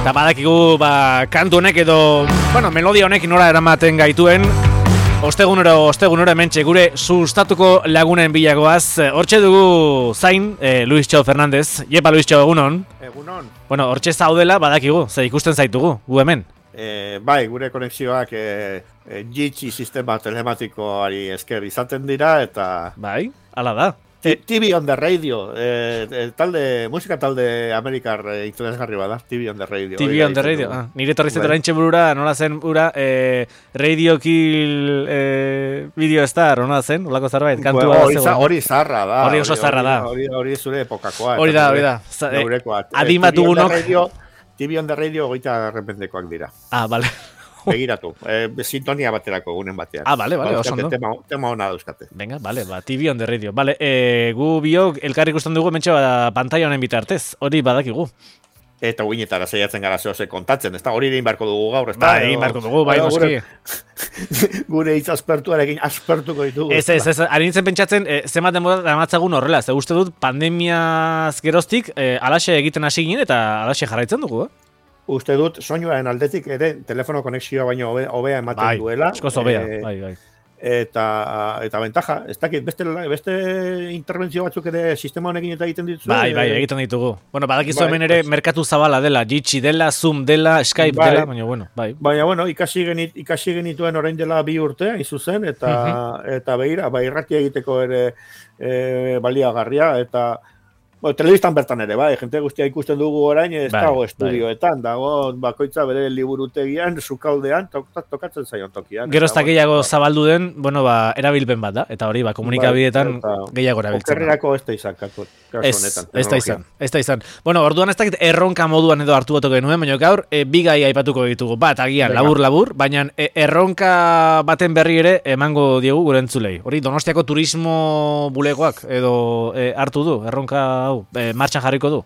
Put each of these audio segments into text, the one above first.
Eta badakigu, kantu honek edo, melodia honek nora eramaten gaituen, ostegunero hementxe gure sustatuko lagunen bilagoaz. Hortxe dugu zain, Luis Txo Fernandez. Jepa, Luis Txo, egunon. Egunon. Hortxe zaudela, badakigu, ze ikusten zaitugu, gu hemen. Bai, gure konexioak jitsi sistema telematikoari esker izaten dira, eta... Bai, ala da. TV on the radio, musika talde Amerikar interesgarri bada, TV on the radio. TV on the radio, nire torrizetu oraintxe burura, nola zen bura, Radio Kill Video Star, nola zen, olako zerbait, kantua da. Hori zarra da. Hori oso zarra da. Hori zure epokakoa. Hori da. Adimatugunok. TV on the radio goita arrependekoak dira. Bale. Begiratu, sintonia baterako egunen batean. Bale, oso ondo. Tema hona dauzkate. Venga, bale, TV on the radio. Bale, gu biok elkarri ikusten dugu mentxe pantalla honen bitartez, hori badakigu. Eta guinetara zeiatzen gara zehose kontatzen, ez da hori egin barko dugu gaur, ez da? Egin barko dugu, bai, noski. Gure hitz aspertuarekin aspertuko ditugu. Ez, ari nintzen pentsatzen, zenbat denbora damatzagun horrela, ze uste dut pandemiaz geroztik alaxe egiten hasi ginen eta alaxe jarraitzen dugu, Uste dut, soinuaren aldetik ere telefono konexioa baino hobea ematen duela. Eskoz hobea, bai. Eta ventaja, ez dakit, beste interbentzio batzuk ere sistema honekin eta egiten dituzu. Bai, egiten ditugu. Badakizu hemen ere merkatu zabala dela, Jitsi dela, Zoom dela, Skype dela, bai. Baina, ikasi genituen orain dela 2 urte, izuzen, eta behira, irratia egiteko ere baliagarria, eta... Telebistan bertan ere, jente guztia ikusten dugu orain, ez dago estudioetan, dago bakoitza bere liburutegian, sukaldean, tokatzen zaion tokian. Gero ez da gehiago zabaldu den, erabilpen bat da, eta hori, komunikabideetan gehiago erabiltzen. Okerrerako ez da izan, kasu honetan. Ez da izan. Orduan ez dakit erronka moduan edo hartu batuko genuen, baina gaur, bi gai aipatuko ditugu, bat agian labur, baina erronka baten berri ere emango diegu gure entzulei. Hori, Donostiako turismo bulegoak edo hartu du, erronka martxan jarriko du?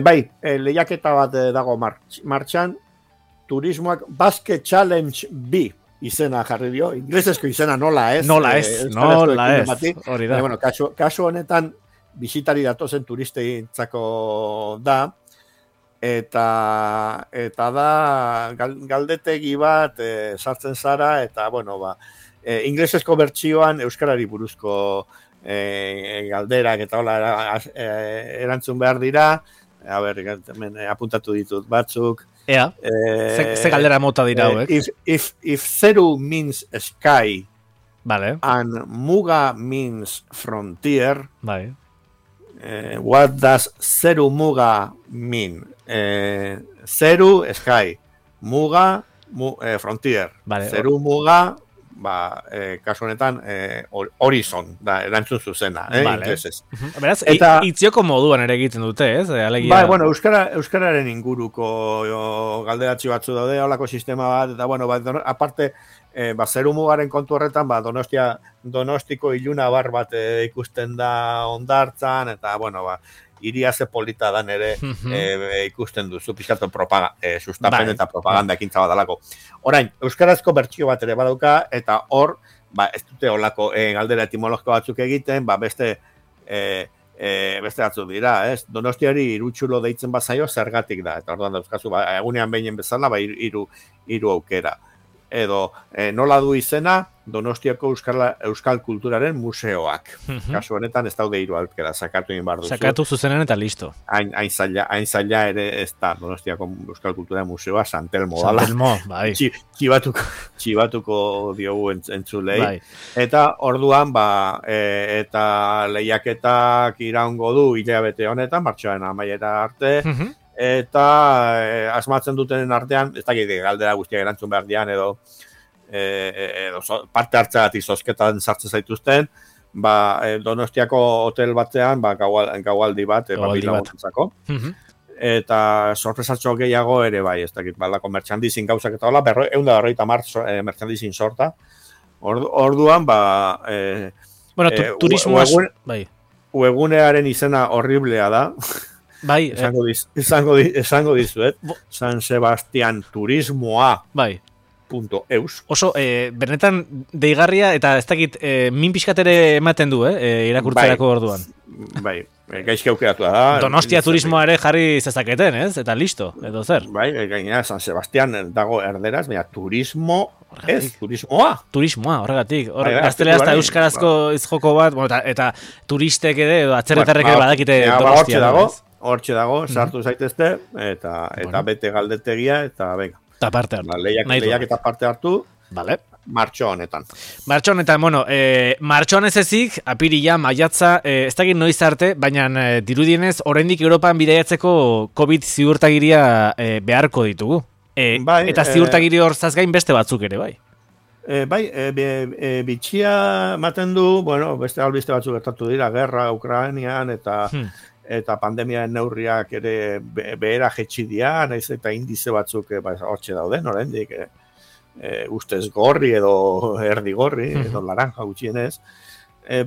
Bai, lehiaketa bat dago martxan, turismoak Basque Challenge B izena jarri dio, inglesesko izena nola ez. Nola ez, hori da. Kasu honetan, bisitari datozen turisteintzako da, eta da galdetegi bat sartzen zara, eta inglesesko bertsioan euskarari buruzko galderak eta hola erantzun behar dira. Apuntatu ditut batzuk. Ze galdera mota dira hauek? If Zeru means sky, vale, and Muga means frontier, vale, what does Zeru Muga mean? Zeru, sky, Muga, frontier. Vale. Zeru Muga, kasu honetan horizon da erantzun zuzena, inglesez. Beraz, itzioko moduan ere egiten dute, ez? Euskararen inguruko galderatzi batzu daude, holako sistema bat, eta aparte, Zeru Mugaren kontu horretan, Donostiko iluna bar bat ikusten da hondartzan, eta, iria ze polita dan ere ikusten duzu, pixkatu sustapen eta propaganda ekintza bat alako. Orain, euskarazko bertsio bat ere badauka, eta hor, ez dute olako galdera etimologiko batzuk egiten, beste batzuk dira, ez? Donostiari irutxulo deitzen bazaio zergatik da, eta orduan dauzkazu, egunean behinen bezala, hiru aukera. Edo, nola du izena, Donostiako Euskal Kulturaren Museoak. Kasu honetan ez daude 3 aukera, sakatu egin behar duzu. Sakatu zuzenen eta listo. Hain zaila ere ez da Donostiako Euskal Kulturaren Museoa, Santelmo dala. Santelmo, bai. Txibatuko diogu entzulei. Bai. Eta orduan, eta lehiaketak iraungo du hilabete honetan, martxoaren amaiera arte, eta asmatzen dutenen artean, ez dakit galdera guztiak erantzun behar dian, edo parte hartzeagatik zozketan sartzen zaituzten, Donostiako hotel batzean, gaualdi bat, bilaguntzako. Eta sorpresatxo gehiago ere bai, ez dakit, baldako merchandising gauzak eta hola, 150 merchandising sorta. Orduan, turismoaz, bai. Webgunearen izena horriblea da. Bai, esango dizuet, San Sebastian Turismoa. Bai. martxon.eus. Oso, benetan deigarria eta ez dakit min pixkat ere ematen du, irakurtzerako orduan. Bai, gaizki aukeratu da. Donostia turismoa ere jarri zezaketen, ez? Eta listo, edo zer. Bai, gainera San Sebastian dago erderaz, baina turismoa. Turismoa, horregatik. Gaztelera eta euskarazko izjoko bat, bueno, eta turistek ere, edo atzerretarrek ere badakite Donostia. Hortxe dago, sartu zaitezte, eta bete galdetegia, eta venga. Eta parte hartu. Lehiak eta parte hartu. Vale. Martxo honetan, bueno, martxo honez ezik, apirila, maiatza, ez dakit noiz arte, baina dirudienez, oraindik Europan bidaiatzeko COVID ziurtagiria beharko ditugu. Eta ziurtagiri horzaz gain beste batzuk ere, bai? Bitxia ematen du, bueno, beste albiste batzuk gertatu dira, gerra, Ukrainian, eta pandemiaren neurriak ere behera jetxi dira, naiz eta indize batzuk hortxe dauden, oraindik, ustez gorri edo erdi gorri, edo laranja gutxienez,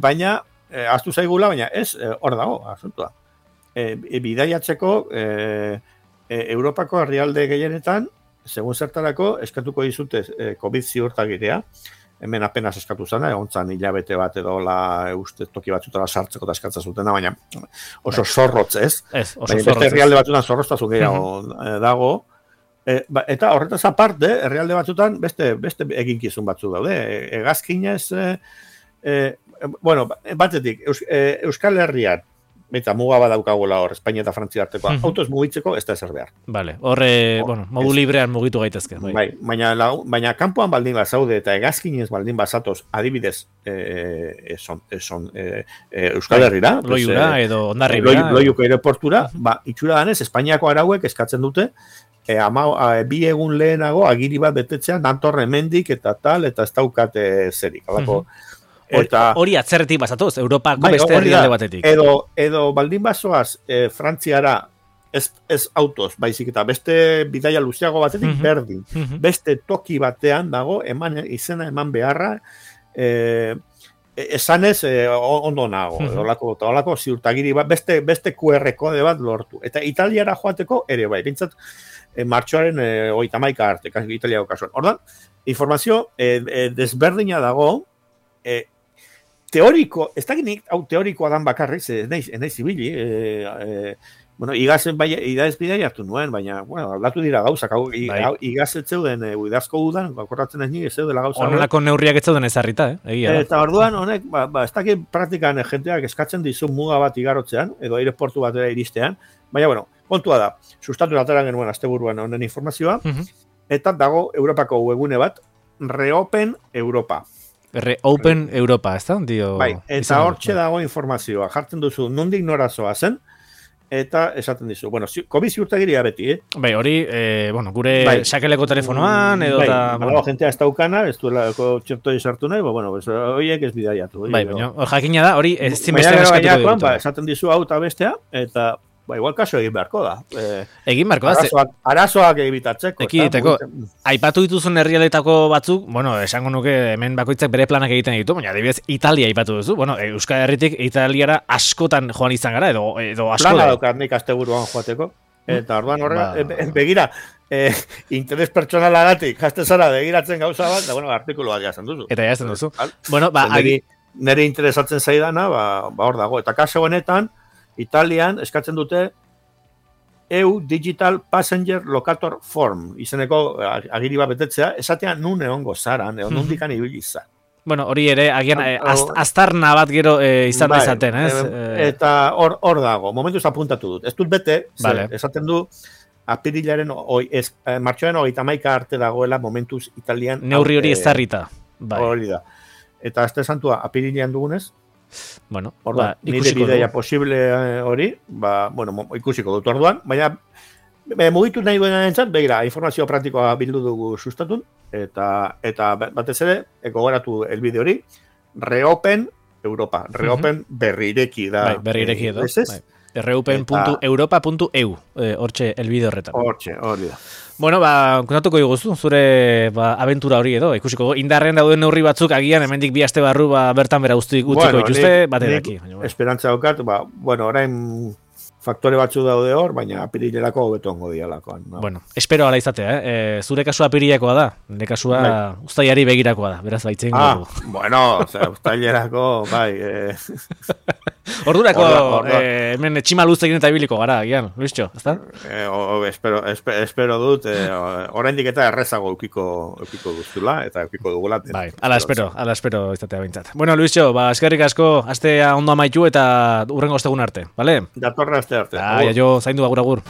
baina, ahaztu zaigula, baina ez, hor dago, asuntua. Bidaiatzeko, Europako herrialde gehienetan, segun zertarako, eskatuko dizute COVID ziurtagiria, hemen apenas eskatu zena, egontzan hilabete bat edo ustez toki batzutara sartzeko eta eskatza zutena, baina oso zorrotz ez. Oso zorrotz. Beste herrialde batzutan zorroztasun gehiago dago, eta horretaz aparte, herrialde batzutan beste eginkizun batzu daude. Hegazkinez, batetik, Euskal Herrian, eta muga badaukagula hor, Espainia eta Frantzia artekoa, autoz mugitzeko ez da ezer behar. Vale, modu librean mugitu gaitezke. Bai, baina kanpoan baldin bat zaude eta hegazkinez baldin bat zatoz, adibidez, Euskal Herrira, Loiura edo Hondarribia. Loiuko aireportura, itxura danez, Espainiako arauek eskatzen dute, 2 egun lehenago agiri bat betetzean dantorre mendik eta tal, eta ez daukate zerik. Hori atzerretik bazatoz, Europako beste herrialde batetik. Edo baldin bazoaz Frantziara ez autoz, baizik eta beste bidaia luzeago batetik berdin. Beste toki batean dago, izena eman beharra, esanez ondo nago. Olako ziurtagiri bat, beste QR kode bat lortu. Eta Italiara joateko ere bai, bintzat, martxoaren 31 arte, Italiako kasuan. Ordan, informazio desberdina dago, teoriko, ez dakit nik, teorikoa dan bakarrik, ez naiz ibili, igaz bidea hartu nuen, baina, aldatu dira gauzak, igaz ez zeuden, idazko udan, bakorratzen ez nik, ez zeudela gauza. Honelako neurriak ez zeuden ezarrita, egia da. Eta orduan, honek, ez dakit praktikan jenteak eskatzen dizu muga bat igarotzean, edo aireportu batera iristean, baina, kontua da, sustatu atera genuen asteburuan honen informazioa, eta dago Europako webgune bat, Reopen Europa. Reopen Europa, ez da? Bai, eta hortxe dago informazioa, jartzen duzu, nondik norazoa zen, eta esaten dizu. COVID ziurtagiria beti, Bai, hori, gure sakeleko telefonoan, edo eta... Bai, jentea ez daukana, ez duelako txertoi sartu nahi, horiek ez bidaiatu. Bai, baina, jakinea da, hori ez zinbestean eskatuko dut. Esaten dizu hau eta bestea, eta... igual kaso egin beharko da. Egin beharko da. Arazoak egibitatzeko. Ekiditeko. Aipatu dituzun herrialdetako batzuk, esango nuke hemen bakoitzak bere planak egiten ditu, baina adibidez Italia aipatu duzu. Euskal Herritik Italiara askotan joan izan gara, edo asko da. Plana daukat nik asteburuan joateko. Eta orduan begira, interes pertsonalagatik, jazte zara begiratzen gauza bat, da artikulu bat jazten duzu. Eta jazten duzu. Nire interesatzen zaidana, hor dago. Eta kaso honetan, Italian eskatzen dute EU Digital Passenger Locator Form, izeneko agiri bat betetzea, esatean nun egongo zaran, nundikan ibili zan. Hori ere, agian, aztarna bat gero izan dezaten, ez? Eta hor dago, momentuz apuntatu dut. Ez dut bete, esaten du, apirilaren, martxoaren 31 arte dagoela momentuz Italian. Neurri hori ezarrita. Hori da. Eta azte santua, apirilean dugunez, nire ikusiko bidea posible hori, ikusiko dut orduan, baina mugitu nahi duena entzat, begira, informazio praktikoa bildu dugu sustatun, eta batez ere, gogoratu elbide hori, Reopen Europa, Reopen berrireki da. Berrireki edo. Reopen.europa.eu, hortxe elbide horretan. Hortxe, hori da. Kontatuko diguzu, zure abentura hori edo, ikusiko, indarren dauden neurri batzuk agian, hemendik 2 aste barru bertan bera utziko dituzte, baterak. Esperantza daukat, orain faktore batzu daude hor, baina apirilerako hobeto ongo dialakoan. No? Bueno, espero ala izatea, zure kasua apirilekoa da, nire kasua uztailari begirakoa da, beraz baitzen dugu. Bueno, uztailerako, bai. Ordurako, hemen tximaluzte egin eta ibiliko gara, gian, Luisio, ezta? Espero dut, oraindik eta errezago eukiko duzula, eta eukiko dugula. Bai, ala espero izatea bintzat. Bueno, Luisio, eskerrik asko, astea ondo amaitu eta urrengo ostegun arte, bale? Datorra aste arte. Jo, zaindu agur.